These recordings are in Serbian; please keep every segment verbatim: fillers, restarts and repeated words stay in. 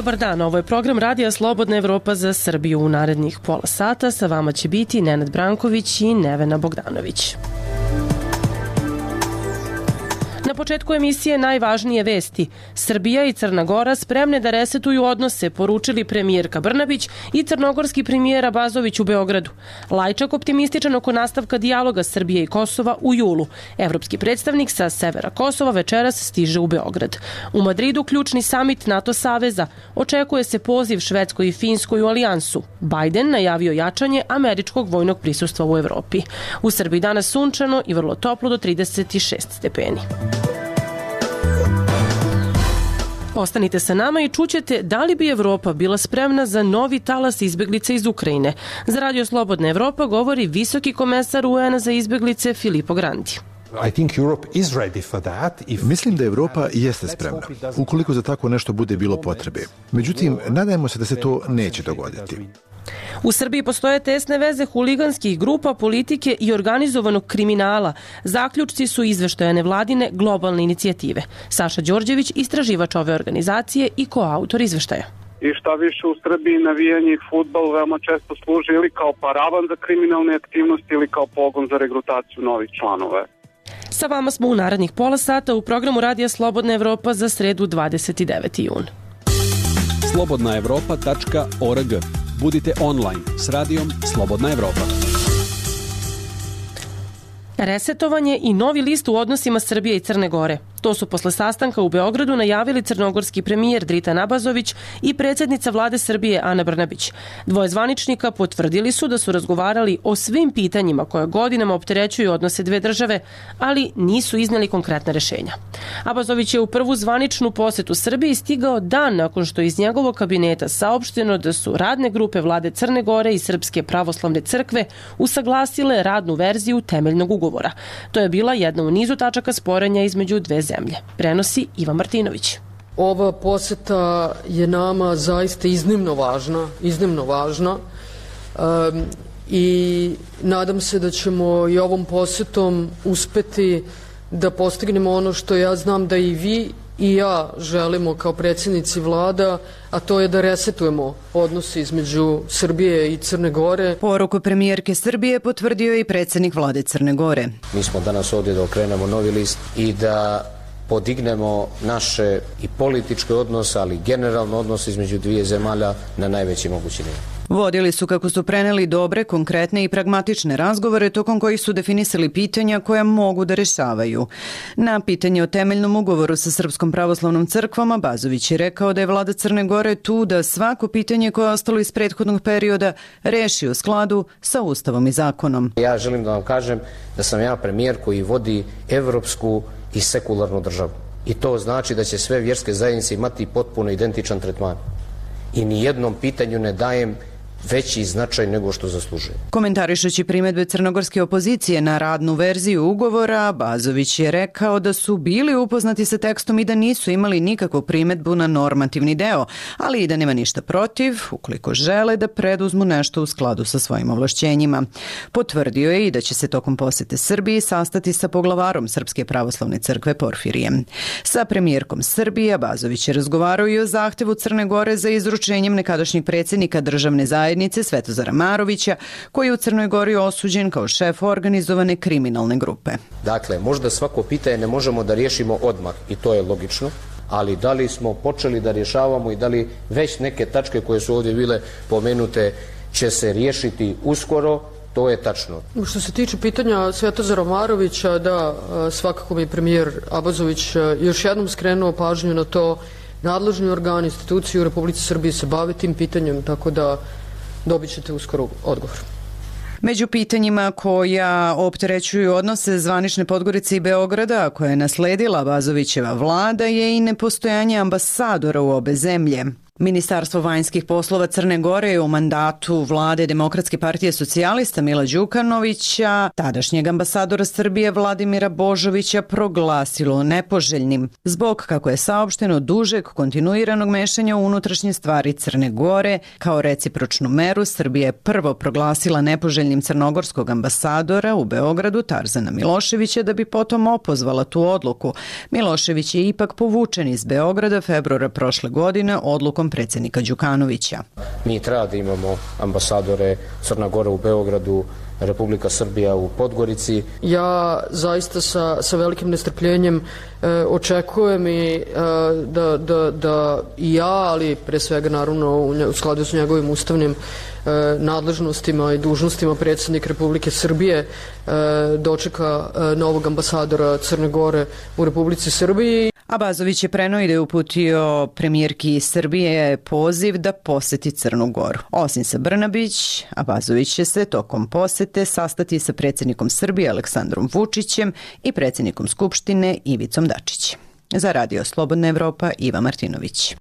Dobar dan, ovo je program Radija Slobodna Evropa za Srbiju. U narednih pola sata sa vama će biti Nenad Branković i Nevena Bogdanović. Na početku emisije najvažnije vesti. Srbija i Crna Gora spremne da resetuju odnose, poručili premijerka Brnabić i crnogorski premijer Abazović u Beogradu. Lajčak optimističan oko nastavka dijaloga Srbije i Kosova u julu. Evropski predstavnik sa severa Kosova večeras stiže u Beograd. U Madridu ključni samit NATO saveza. Očekuje se poziv Švedskoj i Finskoj u alijansu. Biden najavio jačanje američkog vojnog prisustva u Evropi. U Srbiji danas sunčano i vrlo toplo do trideset šest stepeni. Ostanite sa nama i čućete da li bi Evropa bila spremna za novi talas izbeglica iz Ukrajine. Za Radio Slobodna Evropa govori visoki komesar U N za izbeglice Filippo Grandi. Mislim da Evropa jeste spremna, ukoliko za tako nešto bude bilo potrebe. Međutim, nadajmo se da se to neće dogoditi. U Srbiji postoje tesne veze huliganskih grupa, politike i organizovanog kriminala. Zaključci su izveštaja nevladine globalne inicijative. Saša Đorđević, istraživač ove organizacije i koautor izveštaja. I šta više, u Srbiji navijanje i fudbal veoma često služi ili kao paravan za kriminalne aktivnosti ili kao pogon za regrutaciju novih članova. Sa vama smo u narednih pola sata u programu Radija Slobodna Evropa za sredu dvadeset deveti jun. slobodna evropa tačka org. Budite online s radijom Slobodna Evropa. Resetovanje i novi list u odnosima Srbije i Crne Gore. To su posle sastanka u Beogradu najavili crnogorski premijer Dritan Abazović i predsjednica vlade Srbije Ana Brnabić. Dvoje zvaničnika potvrdili su da su razgovarali o svim pitanjima koje godinama opterećuju odnose dve države, ali nisu izneli konkretna rešenja. Abazović je u prvu zvaničnu posetu Srbiji stigao dan nakon što iz njegovog kabineta saopšteno da su radne grupe vlade Crne Gore i Srpske pravoslavne crkve usaglasile radnu verziju temeljnog ugovora. To je bila jedna u nizu tačaka sporenja između dve zemlje. Prenosi Ivan Martinović. Ova poseta je nama zaista iznimno važna, iznimno važna um, i nadam se da ćemo i ovom posetom uspeti da postignemo ono što ja znam da i vi i ja želimo kao predsjednici vlada, a to je da resetujemo odnose između Srbije i Crne Gore. Poruku premijerke Srbije potvrdio i predsjednik vlade Crne Gore. Mi smo danas ovdje da okrenemo novi list i da podignemo naše i političke odnose, ali generalno odnose između dvije zemalja na najveći mogući nivo. Vodili su, kako su preneli, dobre, konkretne i pragmatične razgovore tokom kojih su definisali pitanja koja mogu da rešavaju. Na pitanje o temeljnom ugovoru sa Srpskom pravoslavnom crkvom Abazović je rekao da je vlada Crne Gore tu da svako pitanje koje je ostalo iz prethodnog perioda reši u skladu sa Ustavom i zakonom. Ja želim da vam kažem da sam ja premijer koji vodi evropsku i sekularnu državu. I to znači da će sve vjerske zajednice imati potpuno identičan tretman. I ni jednom pitanju ne dajem veći značaj nego što zaslužuje. Komentarišući primedbe crnogorske opozicije na radnu verziju ugovora, Abazović je rekao da su bili upoznati sa tekstom i da nisu imali nikakvu primedbu na normativni deo, ali i da nema ništa protiv ukoliko žele da preduzmu nešto u skladu sa svojim ovlašćenjima. Potvrdio je i da će se tokom posete Srbiji sastati sa poglavarom Srpske pravoslavne crkve Porfirijem. Sa premijerkom Srbije Abazović je razgovarao i o zahtevu Crne Gore za izručenjem nekadašnjeg predsjednika državne zajednice Svetozara Marovića, koji je u Crnoj Gori osuđen kao šef organizovane kriminalne grupe. Dakle, možda svako pitanje ne možemo da riješimo odmah i to je logično, ali da li smo počeli da rješavamo i da li već neke tačke koje su ovdje bile pomenute će se riješiti uskoro, to je tačno. Što se tiče pitanja Svetozara Marovića, da, svakako mi je premijer Abazović još jednom skrenuo pažnju na to. Nadležni organi, institucije u Republici Srbiji se bave tim pitanjem, tako da dobit ćete uskoro odgovor. Među pitanjima koja opterećuju odnose zvanične Podgorice i Beograda, koja je nasledila Abazovićeva vlada, je i nepostojanje ambasadora u obe zemlje. Ministarstvo vanjskih poslova Crne Gore je u mandatu vlade Demokratske partije socijalista Mila Đukanovića tadašnjeg ambasadora Srbije Vladimira Božovića proglasilo nepoželjnim zbog, kako je saopšteno, dužeg kontinuiranog mešanja u unutrašnje stvari Crne Gore. Kao recipročnu meru Srbija je prvo proglasila nepoželjnim crnogorskog ambasadora u Beogradu Tarzana Miloševića, da bi potom opozvala tu odluku. Milošević je ipak povučen iz Beograda februara prošle godine odlukom predsjednika Đukanovića. Mi treba da imamo ambasadore Crna Gora u Beogradu, Republika Srbija u Podgorici. Ja zaista sa, sa velikim nestrpljenjem e, očekujem i e, da, da, da i ja, ali pre svega naravno u, nje, u skladu s njegovim ustavnim e, nadležnostima i dužnostima predsjednik Republike Srbije e, dočeka e, novog ambasadora Crne Gore u Republici Srbiji. Abazović je preneo i da je uputio premijerki Srbije poziv da poseti Crnu Goru. Osim sa Brnabić, Abazović će se tokom posete sastati sa predsjednikom Srbije Aleksandrom Vučićem i predsjednikom Skupštine Ivicom Dačićem. Za Radio Slobodna Evropa, Iva Martinović.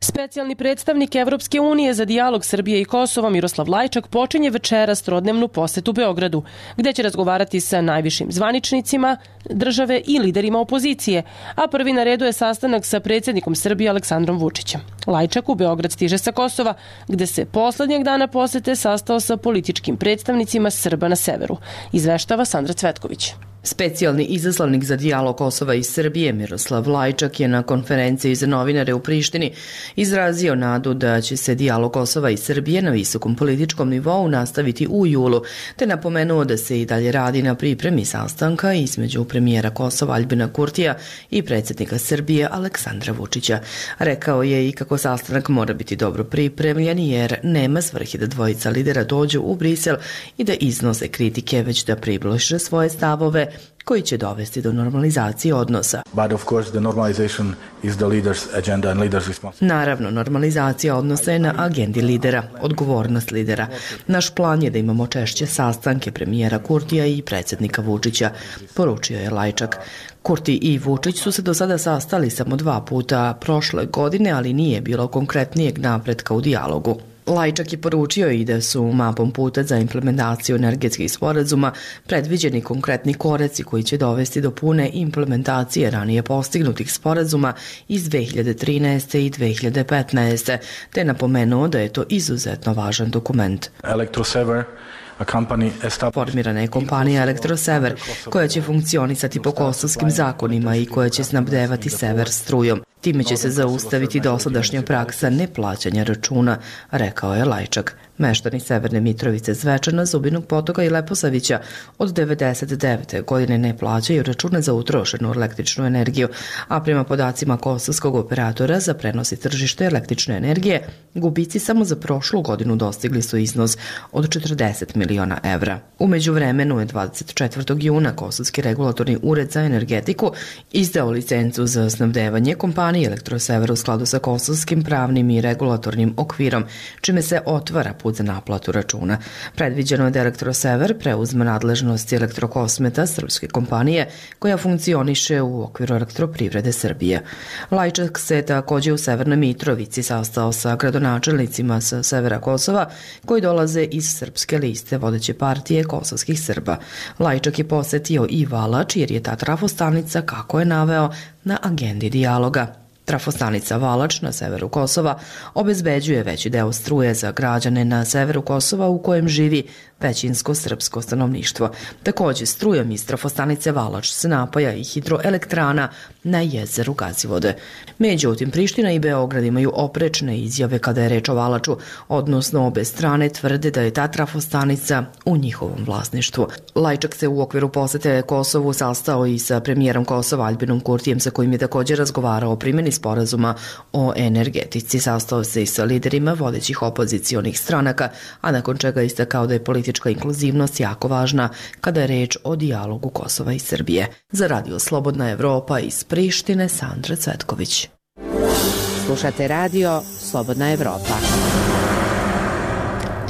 Specijalni predstavnik Evropske unije za dijalog Srbije i Kosova Miroslav Lajčak počinje večeras trodnevnu posetu Beogradu, gde će razgovarati sa najvišim zvaničnicima države i liderima opozicije, a prvi na redu je sastanak sa predsjednikom Srbije Aleksandrom Vučićem. Lajčak u Beograd stiže sa Kosova, gde se poslednjeg dana posete sastao sa političkim predstavnicima Srba na severu, izveštava Sandra Cvetković. Specijalni izaslannik za dijalog Kosova i Srbije Miroslav Lajčak je na konferenciji za novinare u Prištini izrazio nadu da će se dijalog Kosova i Srbije na visokom političkom nivou nastaviti u julu, te napomenuo da se i dalje radi na pripremi sastanka između premijera Kosova Aljbina Kurtija i predsjednika Srbije Aleksandra Vučića. Rekao je i kako sastanak mora biti dobro pripremljen jer nema svrhe da dvojica lidera dođu u Brisel i da iznose kritike, već da približe svoje stavove koji će dovesti do normalizacije odnosa. Naravno, normalizacija odnosa je na agendi lidera, odgovornost lidera. Naš plan je da imamo češće sastanke premijera Kurtija i predsjednika Vučića, poručio je Lajčak. Kurti i Vučić su se do sada sastali samo dva puta prošle godine, ali nije bilo konkretnijeg napretka u dijalogu. Lajčak je poručio i da su mapom puta za implementaciju energetskih sporazuma predviđeni konkretni koreci koji će dovesti do pune implementacije ranije postignutih sporazuma iz dve hiljade trinaeste i dve hiljade petnaeste, te napomenuo da je to izuzetno važan dokument. Elektrosever Formirana je kompanija Elektrosever koja će funkcionisati po kosovskim zakonima i koja će snabdevati sever strujom. Time će se zaustaviti dosadašnja praksa neplaćanja računa, rekao je Lajčak. Meštani Severne Mitrovice, Zvečana, Zubinog Potoka i Leposavića od devedeset devete godine ne plaćaju račune za utrošenu električnu energiju, a prema podacima kosovskog operatora za prenos i tržište električne energije, gubici samo za prošlu godinu dostigli su iznos od četrdeset miliona evra. U međuvremenu je dvadeset četvrtog juna Kosovski regulatorni ured za energetiku izdao licencu za snabdevanje kompanije Elektrosever u skladu sa kosovskim pravnim i regulatornim okvirom, čime se otvara put za naplatu računa. Predviđeno je da Elektrosever preuzme nadležnosti Elektrokosmeta, srpske kompanije, koja funkcioniše u okviru Elektroprivrede Srbije. Lajčak se takođe u Severnoj Mitrovici sastao sa gradonačelnicima sa severa Kosova, koji dolaze iz srpske liste vodeće partije kosovskih Srba. Lajčak je posetio i Valač, jer je ta trafostanica, kako je naveo, na agendi dijaloga. Trafostanica Valač na severu Kosova obezbeđuje veći deo struje za građane na severu Kosova u kojem živi većinsko srpsko stanovništvo. Takođe, strujom iz trafostanice Valač se napaja i hidroelektrana na jezeru Gazivode. Međutim, Priština i Beograd imaju oprečne izjave kada je reč o Valaču, odnosno obe strane tvrde da je ta trafostanica u njihovom vlasništvu. Lajčak se u okviru posete Kosovu sastao i sa premijerom Kosova Aljbinom Kurtijem, sa kojim je takođe razgovarao o primjeni sporazuma o energetici. Sastao se i sa liderima vodećih opozicionih stranaka, a nakon čega istakao da je politička inkluzivnost jako važna kada je reč o dijalogu Kosova i Srbije. Za Radio Slobodna Evropa iz Prištine, Sandra Cvetković. Slušate Radio Slobodna Evropa.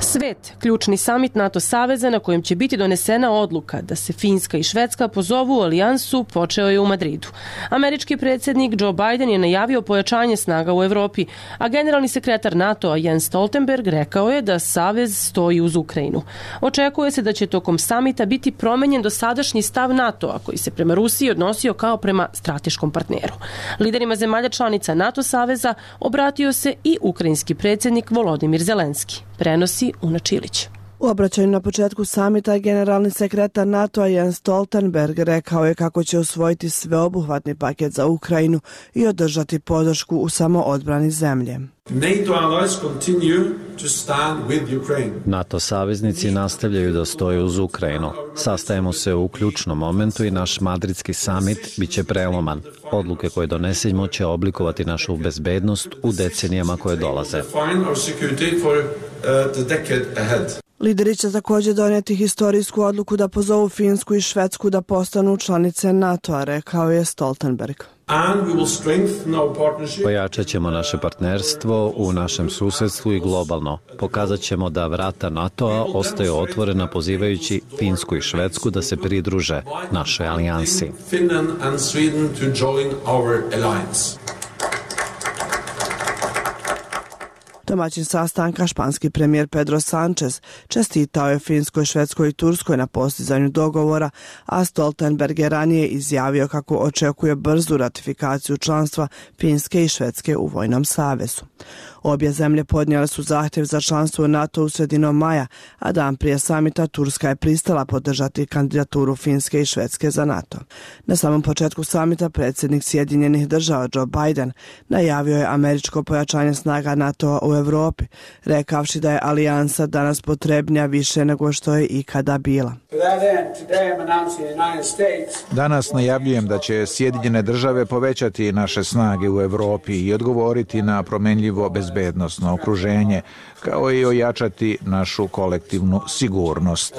Svet, ključni samit NATO saveza na kojem će biti donesena odluka da se Finska i Švedska pozovu u alijansu, počeo je u Madridu. Američki predsjednik Joe Biden je najavio pojačanje snaga u Evropi, a generalni sekretar NATO-a Jens Stoltenberg rekao je da savez stoji uz Ukrajinu. Očekuje se da će tokom samita biti promenjen dosadašnji stav NATO-a koji se prema Rusiji odnosio kao prema strateškom partneru. Liderima zemalja članica NATO saveza obratio se i ukrajinski predsjednik Volodimir Zelenski. Prenosi Una Čilić. U obraćanju na početku samita generalni sekretar NATO-a Jens Stoltenberg rekao je kako će usvojiti sveobuhvatni paket za Ukrajinu i održati podršku u samoodbrani zemlje. NATO saveznici nastavljaju da stoje uz Ukrajinu. Sastajemo se u ključnom momentu i naš madridski samit biće preloman. Odluke koje donesemo će oblikovati našu bezbednost u decenijama koje dolaze. Lideri će također donijeti historijsku odluku da pozovu Finsku i Švedsku da postanu članice NATO-a, rekao je Stoltenberg. Pojačat ćemo naše partnerstvo u našem susedstvu i globalno. Pokazat ćemo da vrata NATO-a ostaju otvorena pozivajući Finsku i Švedsku da se pridruže našoj alijansi. Domaćin sastanka, španski premijer Pedro Sanchez, čestitao je Finskoj, Švedskoj i Turskoj na postizanju dogovora, a Stoltenberg je ranije izjavio kako očekuje brzu ratifikaciju članstva Finske i Švedske u vojnom savezu. Obje zemlje podnijele su zahtjev za članstvo u NATO u sredinom maja, a dan prije samita Turska je pristala podržati kandidaturu Finske i Švedske za NATO. Na samom početku samita predsjednik Sjedinjenih država Joe Biden najavio je američko pojačanje snaga NATO-a u Evropi, rekavši da je alijansa danas potrebnija više nego što je ikada bila. Danas najavljujem da će Sjedinjene države povećati naše snage u Evropi i odgovoriti na promenljivo bezbednosno okruženje, kao i ojačati našu kolektivnu sigurnost.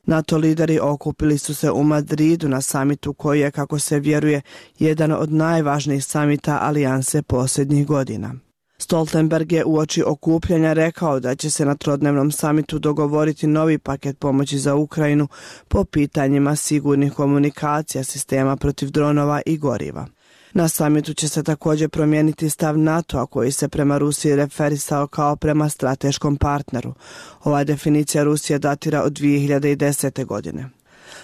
NATO lideri okupili su se u Madridu na samitu koji je, kako se vjeruje, jedan od najvažnijih samita alijanse posljednjih godina. Stoltenberg je uoči okupljanja rekao da će se na trodnevnom samitu dogovoriti novi paket pomoći za Ukrajinu po pitanjima sigurnih komunikacija, sistema protiv dronova i goriva. Na samitu će se također promijeniti stav NATO-a koji se prema Rusiji referisao kao prema strateškom partneru. Ova definicija Rusije datira od dvije hiljade desete. godine.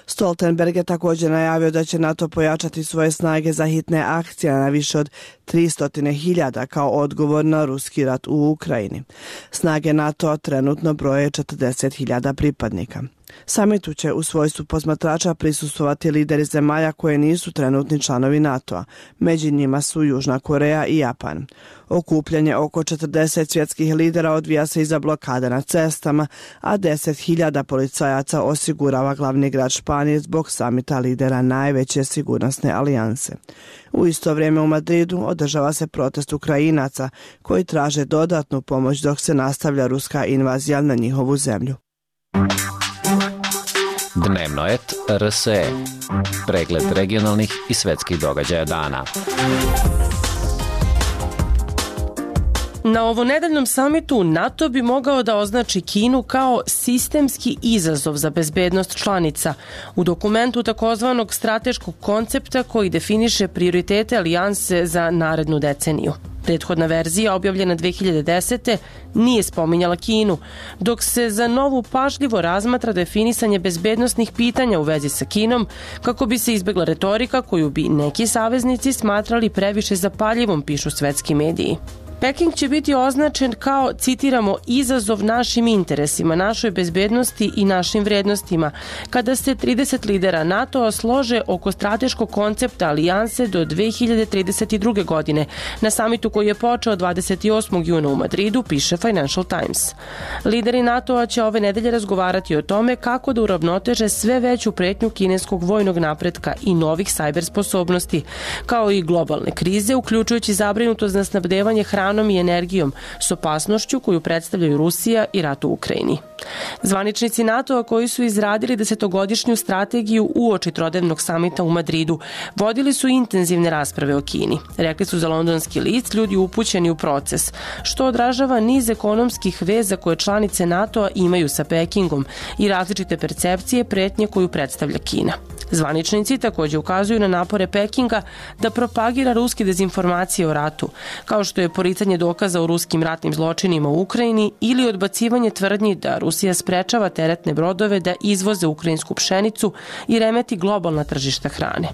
Stoltenberg je također najavio da će NATO pojačati svoje snage za hitne akcije na više od tristo hiljada kao odgovor na ruski rat u Ukrajini. Snage NATO trenutno broje četrdeset hiljada pripadnika. Samitu će u svojstvu posmatrača prisustvovati lideri zemalja koje nisu trenutni članovi NATO-a. Među njima su Južna Koreja i Japan. Okupljanje oko četrdeset svjetskih lidera odvija se iza blokada na cestama, a deset hiljada policajaca osigurava glavni grad Španije zbog samita lidera najveće sigurnosne alijanse. U isto vrijeme u Madridu održava se protest Ukrajinaca koji traže dodatnu pomoć dok se nastavlja ruska invazija na njihovu zemlju. Dnevno et R S E. Pregled regionalnih i svetskih događaja dana. Na ovonedeljnom samitu NATO bi mogao da označi Kinu kao sistemski izazov za bezbednost članica u dokumentu takozvanog strateškog koncepta koji definiše prioritete alijanse za narednu deceniju. Prethodna verzija, objavljena dve hiljade desete. nije spominjala Kinu, dok se za novu pažljivo razmatra definisanje bezbednosnih pitanja u vezi sa Kinom, kako bi se izbegla retorika koju bi neki saveznici smatrali previše zapaljivom, pišu svetski mediji. Peking će biti označen kao, citiramo, izazov našim interesima, našoj bezbednosti i našim vrednostima, kada se trideset lidera NATO-a slože oko strateškog koncepta alijanse do dve hiljade trideset druge. godine, na samitu koji je počeo dvadeset osmog juna u Madridu, piše Financial Times. Lideri NATO-a će ove nedelje razgovarati o tome kako da uravnoteže sve veću pretnju kineskog vojnog napretka i novih sajber sposobnosti, kao i globalne krize, uključujući zabrinutost na snabdevanje hranom i energijom s opasnošću koju predstavljaju Rusija i rat u Ukrajini. Zvaničnici NATO-a koji su izradili desetogodišnju strategiju uoči trodnevnog samita u Madridu vodili su intenzivne rasprave o Kini. Rekli su za londonski list ljudi upućeni u proces, što odražava niz ekonomskih veza koje članice NATO-a imaju sa Pekingom i različite percepcije pretnje koju predstavlja Kina. Zvaničnici također ukazuju na napore Pekinga da propagira ruske dezinformacije o ratu, kao što je poricanje dokaza o ruskim ratnim zločinima u Ukrajini ili odbacivanje tvrdnji da Rusija Rusija sprečava teretne brodove da izvoze ukrajinsku pšenicu i remeti globalna tržišta hrane.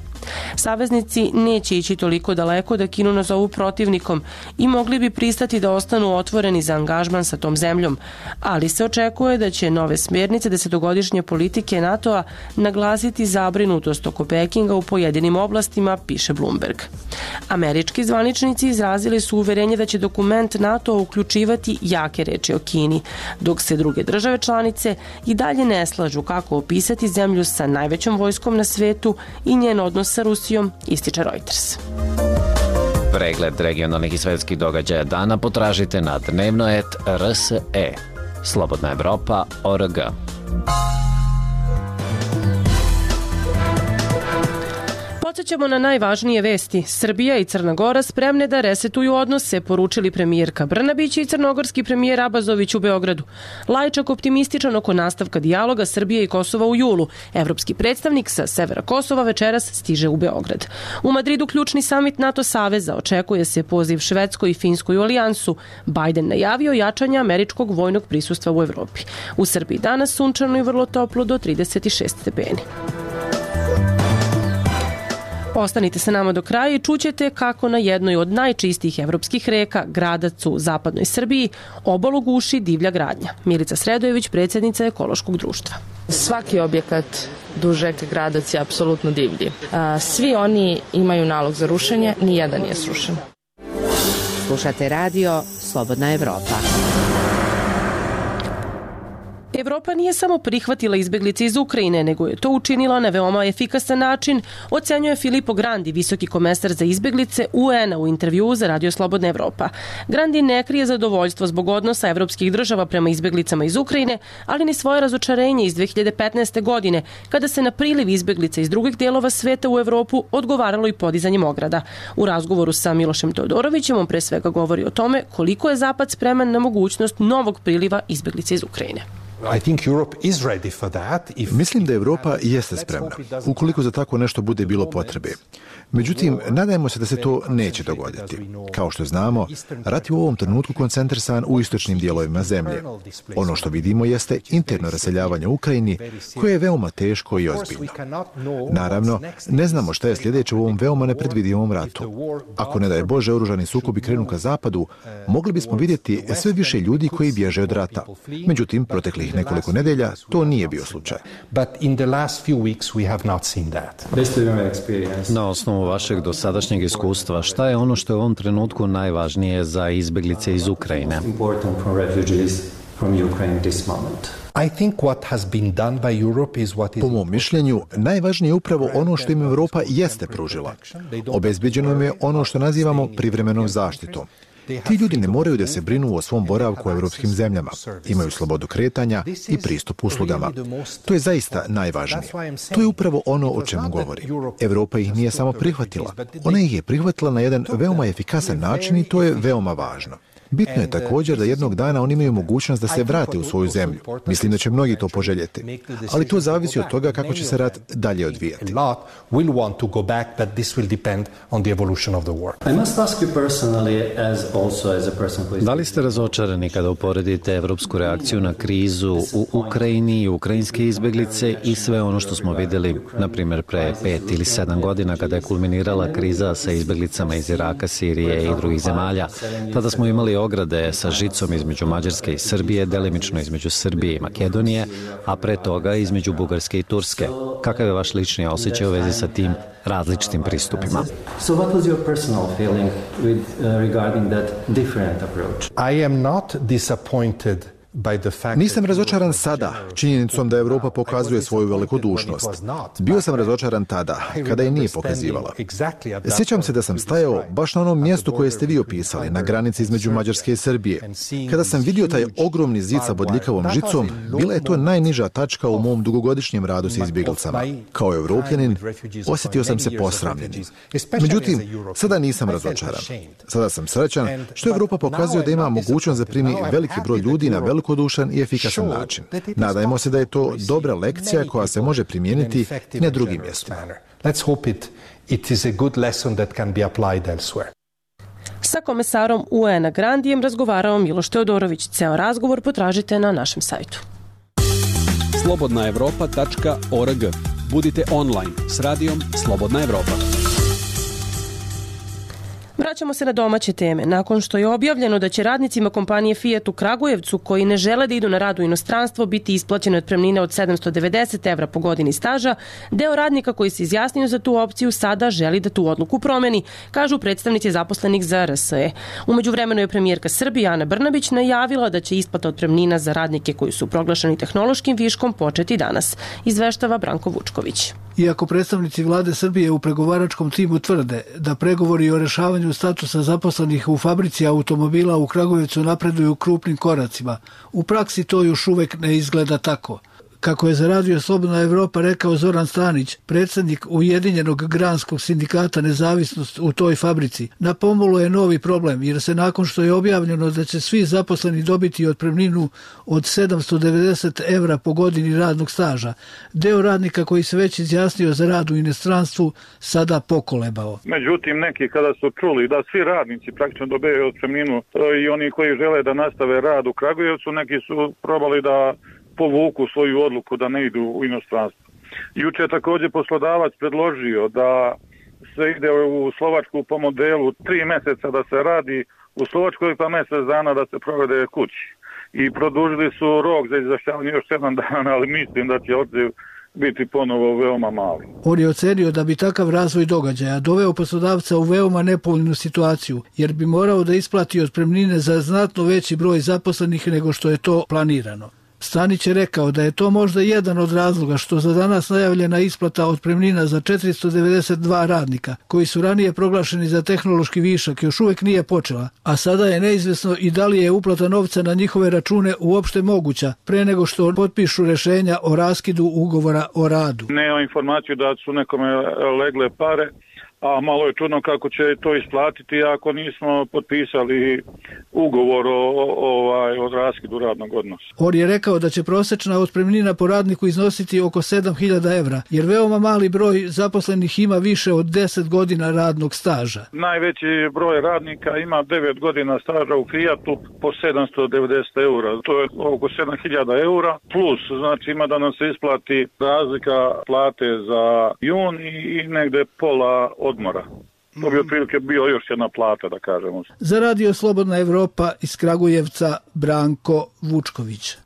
Saveznici neće ići toliko daleko da Kinu nazovu protivnikom i mogli bi pristati da ostanu otvoreni za angažman sa tom zemljom, ali se očekuje da će nove smjernice desetogodišnje politike NATO-a naglasiti zabrinutost oko Pekinga u pojedinim oblastima, piše Bloomberg. Američki zvaničnici izrazili su uverenje da će dokument NATO uključivati jake reči o Kini, dok se druge države članice i dalje ne slažu kako opisati zemlju sa najvećom vojskom na svetu i njen odnos sa Rusijom, ističe Reuters. Pregled regionalnih i svetskih događaja dana potražite na dnevnoet R S E. Slobodna Evropa tačka org. Podsećamo na najvažnije vesti. Srbija i Crna Gora spremne da resetuju odnose, poručili premijerka Brnabić i crnogorski premijer Abazović u Beogradu. Lajčak optimističan oko nastavka dijaloga Srbije i Kosova u julu. Evropski predstavnik sa severa Kosova večeras stiže u Beograd. U Madridu ključni samit NATO saveza, očekuje se poziv Švedskoj i Finskoj u alijansu. Biden najavio jačanje američkog vojnog prisustva u Evropi. U Srbiji danas sunčano i vrlo toplo do trideset šest stepeni. Ostanite sa nama do kraja i čućete kako na jednoj od najčistijih evropskih reka, Gradac u zapadnoj Srbiji, obalu guši divlja gradnja. Milica Sredojević, predsjednica ekološkog društva. Svaki objekat duž reke Gradac je apsolutno divlji. Svi oni imaju nalog za rušenje, nijedan nije srušen. Slušate radio Slobodna Evropa. Evropa nije samo prihvatila izbeglice iz Ukrajine, nego je to učinila na veoma efikasan način, ocenjuje Filippo Grandi, visoki komesar za izbeglice U N-a u intervjuu za Radio Slobodna Evropa. Grandi ne krije zadovoljstvo zbog odnosa evropskih država prema izbeglicama iz Ukrajine, ali ni svoje razočarenje iz dve hiljade petnaeste. godine, kada se na priliv izbeglica iz drugih delova sveta u Evropu odgovaralo i podizanjem ograda. U razgovoru sa Milošem Teodorovićem on pre svega govori o tome koliko je Zapad spreman na mogućnost novog priliva izbeglica iz Ukrajine. Mislim da Evropa jeste spremna, ukoliko za tako nešto bude bilo potrebe. Međutim, nadajmo se da se to neće dogoditi. Kao što znamo, rat je u ovom trenutku koncentrisan u istočnim dijelovima zemlje. Ono što vidimo jeste interno raseljavanje u Ukrajini, koje je veoma teško i ozbiljno. Naravno, ne znamo šta je sljedeće u ovom veoma nepredvidivom ratu. Ako ne daje Bože oružani sukobi krenu ka zapadu, mogli bismo vidjeti sve više ljudi koji bježe od rata. Međutim, proteklih nekoliko nedelja to nije bio slučaj. Na osnovu vašeg dosadašnjeg iskustva, šta je ono što je u ovom trenutku najvažnije za izbeglice iz Ukrajine? Po mom mišljenju, najvažnije je upravo ono što im Evropa jeste pružila. Obezbeđeno im je ono što nazivamo privremenom zaštitom. Ti ljudi ne moraju da se brinu o svom boravku u evropskim zemljama. Imaju slobodu kretanja i pristup uslugama. To je zaista najvažnije. To je upravo ono o čemu govori. Evropa ih nije samo prihvatila. Ona ih je prihvatila na jedan veoma efikasan način i to je veoma važno. Bitno je također da jednog dana oni imaju mogućnost da se vrate u svoju zemlju. Mislim da će mnogi to poželjeti. Ali to zavisi od toga kako će se rat dalje odvijati. Da li ste razočarani kada uporedite evropsku reakciju na krizu u Ukrajini i ukrajinske izbeglice i sve ono što smo vidjeli, na primjer, pre pet ili sedam godina kada je kulminirala kriza sa izbeglicama iz Iraka, Sirije i drugih zemalja? Tada smo imali ograde sa žicom između Mađarske i Srbije, delimično između Srbije i Makedonije, a pre toga između Bugarske i Turske. Kakav je vaš lični osjećaj u vezi sa tim različitim pristupima? So what was your personal feeling with, uh, regarding that different approach? I am not disappointed. Nisam razočaran sada činjenicom da Evropa pokazuje svoju velikodušnost. Bio sam razočaran tada, kada je nije pokazivala. Sjećam se da sam stajao baš na onom mjestu koje ste vi opisali, na granici između Mađarske i Srbije. Kada sam vidio taj ogromni zid sa bodljikavom žicom, bila je to najniža tačka u mom dugogodišnjem radu s izbjeglicama. Kao evropljanin, osjetio sam se posramljenim. Međutim, sada nisam razočaran. Sada sam srećan što Evropa pokazuje da ima mogućnost da primi veliki broj ljudi na velikodušan i efikasan način. Nadajmo se da je to dobra lekcija koja se može primijeniti na drugim mjestima. Sa komesarom U N-a Grandijem razgovarao Miloš Teodorović. Ceo razgovor potražite na našem sajtu. slobodna evropa tačka org. Budite online s radijom Slobodna Evropa. Vraćamo se na domaće teme. Nakon što je objavljeno da će radnicima kompanije Fiat u Kragujevcu koji ne žele da idu na rad u inostranstvo biti isplaćene otpremnine od sedamsto devedeset evra po godini staža, deo radnika koji se izjasnio za tu opciju sada želi da tu odluku promeni, kažu predstavnici zaposlenih za R S E. Umeđu vremenu je premijerka Srbije Ana Brnabić najavila da će isplata otpremnina za radnike koji su proglašeni tehnološkim viškom početi danas, izveštava Branko Vučković. Iako predstavnici vlade Srbije u pregovaračkom timu tvrde da pregovori o rešavanju statusa zaposlenih u fabrici automobila u Kragujevcu napreduju krupnim koracima, u praksi to još uvek ne izgleda tako. Kako je za Radio Slobodna Evropa rekao Zoran Stanić, predsjednik Ujedinjenog granskog sindikata Nezavisnost u toj fabrici, na pomolu je novi problem jer se nakon što je objavljeno da će svi zaposleni dobiti otpremninu od sedamsto devedeset evra po godini radnog staža, deo radnika koji se već izjasnio za rad u inostranstvu sada pokolebao. Međutim, neki kada su čuli da svi radnici praktično dobijaju otpremninu i oni koji žele da nastave rad u Kragujevcu, neki su probali da povuku svoju odluku da ne idu u inostranstvo. Juče je također poslodavac predložio da se ide u Slovačku po modelu tri mjeseca da se radi u Slovačkoj pa mjesec dana da se provede kući. I produžili su rok za izjašnjavanje još sedam dana, ali mislim da će odziv biti ponovo veoma mali. On je ocenio da bi takav razvoj događaja doveo poslodavca u veoma nepovoljnu situaciju, jer bi morao da isplati otpremnine za znatno veći broj zaposlenih nego što je to planirano. Stanić je rekao da je to možda jedan od razloga što za danas najavljena isplata otpremnina za četiristo devedeset dva radnika, koji su ranije proglašeni za tehnološki višak, još uvek nije počela, a sada je neizvesno i da li je uplata novca na njihove račune uopšte moguća, pre nego što potpišu rešenja o raskidu ugovora o radu. Nema informaciju da su nekome legle pare, a malo je čudno kako će to isplatiti ako nismo potpisali ugovor o, ovaj, o raskidu radnog odnosa. On je rekao da će prosečna otpremnina po radniku iznositi oko sedam hiljada evra, jer veoma mali broj zaposlenih ima više od deset godina radnog staža. Najveći broj radnika ima devet godina staža u Fiatu po sedamsto devedeset eura. To je oko sedam hiljada eura, plus znači ima da nam se isplati razlika plate za jun i negde pola odmora. To bi otprilike bio još jedna plata, da kažemo. Za Radio Slobodna Evropa iz Kragujevca, Branko Vučković.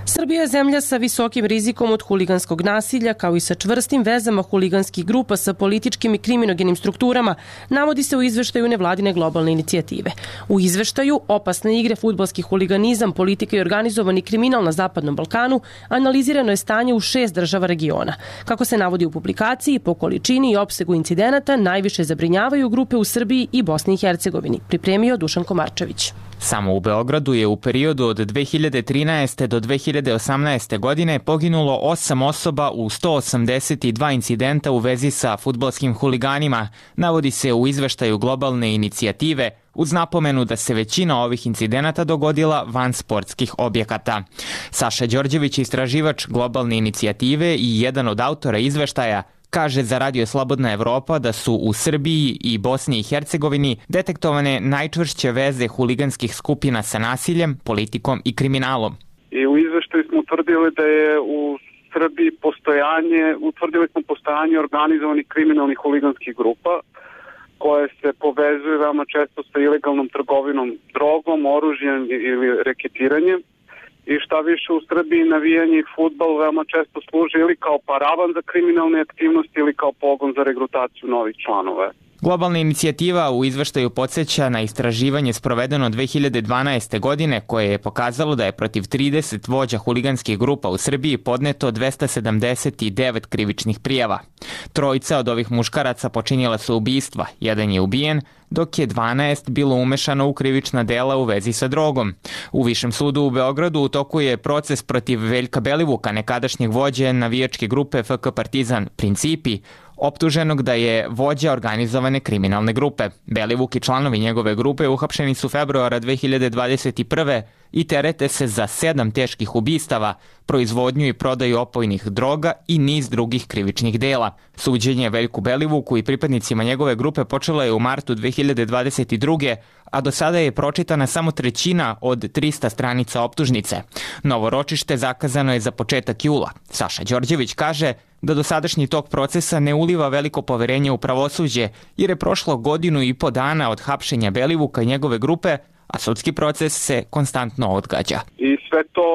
Srbija je zemlja sa visokim rizikom od huliganskog nasilja, kao i sa čvrstim vezama huliganskih grupa sa političkim i kriminogenim strukturama, navodi se u izveštaju nevladine globalne inicijative. U izveštaju opasne igre, fudbalski huliganizam, politika i organizovani kriminal na Zapadnom Balkanu analizirano je stanje u šest država regiona. Kako se navodi u publikaciji, po količini i opsegu incidenata najviše zabrinjavaju grupe u Srbiji i Bosni i Hercegovini, pripremio Dušan Komarčević. Samo u Beogradu je u periodu od dve hiljade trinaeste do dve hiljade osamnaeste. godine poginulo osam osoba u sto osamdeset dva incidenta u vezi sa fudbalskim huliganima, navodi se u izveštaju globalne inicijative, uz napomenu da se većina ovih incidenata dogodila van sportskih objekata. Saša Đorđević, istraživač globalne inicijative i jedan od autora izveštaja, kaže za Radio Slobodna Evropa da su u Srbiji i Bosni i Hercegovini detektovane najčvršće veze huliganskih skupina sa nasiljem, politikom i kriminalom. I u izveštaju smo utvrdili da je u Srbiji postojanje, utvrdili smo postojanje organizovanih kriminalnih huliganskih grupa koje se povezuju veoma često sa ilegalnom trgovinom drogom, oružjem ili reketiranjem. I šta više, u Srbiji navijanje i fudbal veoma često služi ili kao paravan za kriminalne aktivnosti ili kao pogon za regrutaciju novih članova. Globalna inicijativa u izveštaju podsjeća na istraživanje sprovedeno dve hiljade dvanaeste. godine koje je pokazalo da je protiv trideset vođa huliganskih grupa u Srbiji podneto dvesta sedamdeset devet krivičnih prijava. Trojica od ovih muškaraca počinjela su ubistva, jedan je ubijen, dok je dvanaest bilo umešano u krivična dela u vezi sa drogom. U Višem sudu u Beogradu u toku je proces protiv Veljka Belivuka, nekadašnjeg vođe navijačke grupe F K Partizan Principi, optuženog da je vođa organizovane kriminalne grupe. Belivuk i članovi njegove grupe uhapšeni su februara dve hiljade dvadeset prve. i terete se za sedam teških ubistava, proizvodnju i prodaju opojnih droga i niz drugih krivičnih dela. Suđenje Veljku Belivuku i pripadnicima njegove grupe počelo je u martu dve hiljade dvadeset druge. a do sada je pročitana samo trećina od trista stranica optužnice. Novo ročište zakazano je za početak jula. Saša Đorđević kaže da dosadašnji tok procesa ne uliva veliko poverenje u pravosuđe, jer je prošlo godinu i po dana od hapšenja Belivuka i njegove grupe, a sudski proces se konstantno odgađa. I sve to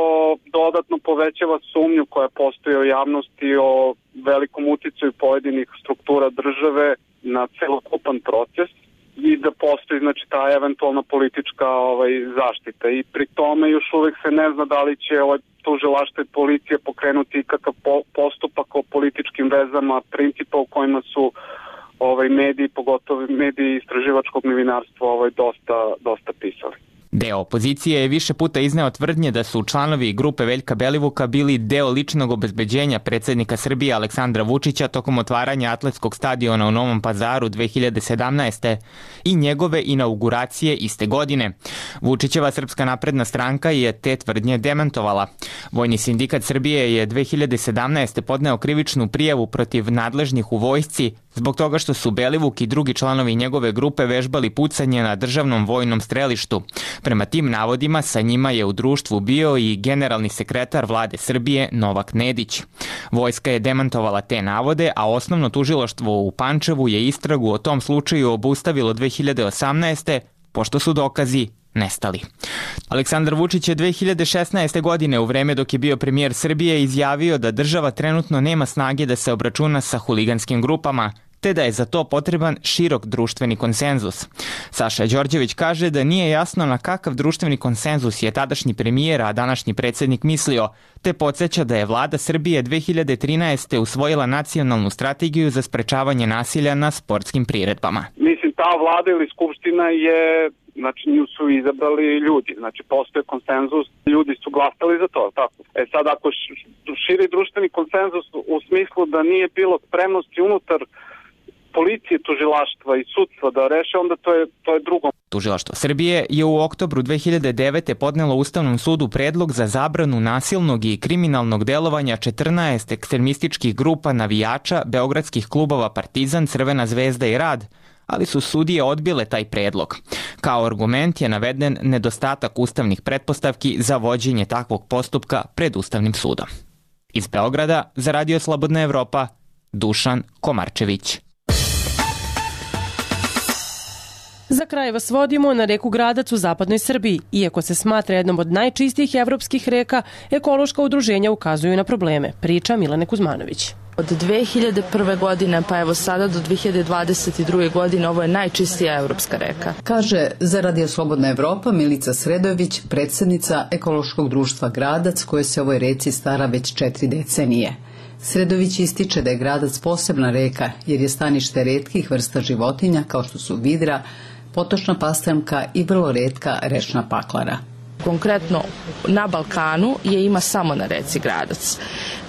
dodatno povećava sumnju koja postoji u javnosti o velikom uticaju pojedinih struktura države na celokupan proces i da postoji znači ta eventualna politička ovaj zaštita. I pri tome još uvek se ne zna da li će ovaj tužilaštvo i policija pokrenuti ikakav postupak o političkim vezama, principa u kojima su ovaj mediji, pogotovo mediji istraživačkog novinarstva, ovaj dosta dosta pisali. Deo opozicije je više puta izneo tvrdnje da su članovi grupe Veljka Belivuka bili deo ličnog obezbeđenja predsjednika Srbije Aleksandra Vučića tokom otvaranja atletskog stadiona u Novom Pazaru dve hiljade sedamnaeste. i njegove inauguracije iste godine. Vučićeva Srpska napredna stranka je te tvrdnje demantovala. Vojni sindikat Srbije je dve hiljade sedamnaeste. podneo krivičnu prijavu protiv nadležnih u vojsci zbog toga što su Belivuk i drugi članovi njegove grupe vežbali pucanje na državnom vojnom strelištu. Prema tim navodima sa njima je u društvu bio i generalni sekretar vlade Srbije Novak Nedić. Vojska je demantovala te navode, a osnovno tužilaštvo u Pančevu je istragu o tom slučaju obustavilo dve hiljade osamnaeste. pošto su dokazi nestali. Aleksandar Vučić je dve hiljade šesnaeste. godine u vreme dok je bio premijer Srbije izjavio da država trenutno nema snage da se obračuna sa huliganskim grupama, te da je za to potreban širok društveni konsenzus. Saša Đorđević kaže da nije jasno na kakav društveni konsenzus je tadašnji premijer, a današnji predsjednik mislio, te podsjeća da je vlada Srbije dve hiljade trinaeste. usvojila nacionalnu strategiju za sprečavanje nasilja na sportskim priredbama. Mislim, ta vlada ili skupština je, znači nju su izabrali ljudi, znači postoje konsenzus, ljudi su glasali za to, tako. E sad ako širi društveni konsenzus u smislu da nije bilo spremnosti unutar policije, tužilaštva i sudstva da reše, onda to je, to je drugo. Tužilaštvo Srbije je u oktobru dve hiljade devete. podnelo Ustavnom sudu predlog za zabranu nasilnog i kriminalnog delovanja četrnaest ekstremističkih grupa navijača beogradskih klubova Partizan, Crvena zvezda i Rad, ali su sudije odbile taj predlog. Kao argument je naveden nedostatak ustavnih pretpostavki za vođenje takvog postupka pred Ustavnim sudom. Iz Beograda za Radio Slobodna Evropa, Dušan Komarčević. Za kraj vas vodimo na reku Gradac u zapadnoj Srbiji. Iako se smatra jednom od najčistijih evropskih reka, ekološka udruženja ukazuju na probleme. Priča Milane Kuzmanović. Od dve hiljade prve. godine pa evo sada do dve hiljade dvadeset druge. godine ovo je najčistija evropska reka. Kaže za Radio Slobodna Evropa Milica Sredojević, predsjednica ekološkog društva Gradac, koje se ovoj reci stara već četiri decenije. Sredović ističe da je Gradac posebna reka jer je stanište retkih vrsta životinja kao što su vidra, potočna pastrmka i vrlo retka rečna paklara. Konkretno na Balkanu je ima samo na reci Gradac,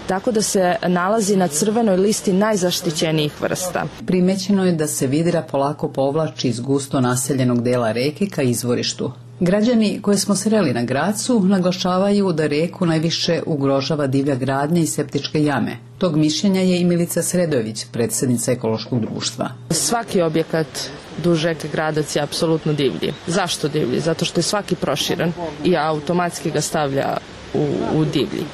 tako da se nalazi na crvenoj listi najzaštićenijih vrsta. Primećeno je da se vidra polako povlači iz gusto naseljenog dela reke ka izvorištu. Građani koje smo sreli na Gracu naglašavaju da reku najviše ugrožava divlja gradnja i septičke jame. Tog mišljenja je i Milica Sredojević, predsjednica ekološkog društva. Svaki objekat duž reke Gradac je apsolutno divlji. Zašto divlji? Zato što je svaki proširen i automatski ga stavlja u, u divlji.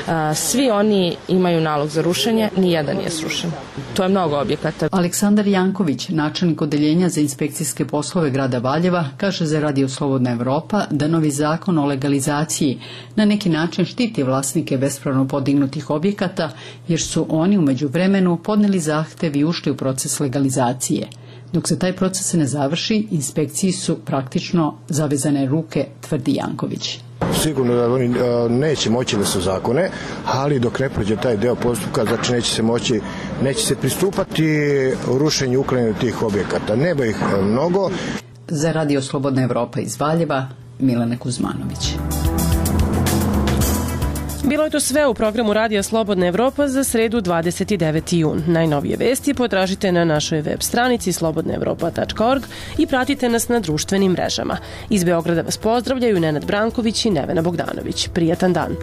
A, svi oni imaju nalog za rušenje, nijedan nije srušen. To je mnogo objekata. Aleksandar Janković, načelnik odeljenja za inspekcijske poslove grada Valjeva, kaže za Radio Slobodna Evropa da novi zakon o legalizaciji na neki način štiti vlasnike bespravno podignutih objekata, jer su oni u međuvremenu podneli zahtev i ušli u proces legalizacije. Dok se taj proces ne završi, inspekciji su praktično zavezane ruke, tvrdi Janković. Sigurno da oni neće moći da se zakone, ali dok ne prođe taj deo postupka, znači neće se moći, neće se pristupati rušenju, uklanjanju tih objekata. Nema ih mnogo. Za Radio Slobodna Evropa iz Valjeva, Milana Kuzmanović. Bilo je to sve u programu Radija Slobodna Evropa za sredu dvadeset deveti jun. Najnovije vesti potražite na našoj web stranici slobodna evropa tačka org i pratite nas na društvenim mrežama. Iz Beograda vas pozdravljaju Nenad Branković i Nevena Bogdanović. Prijatan dan.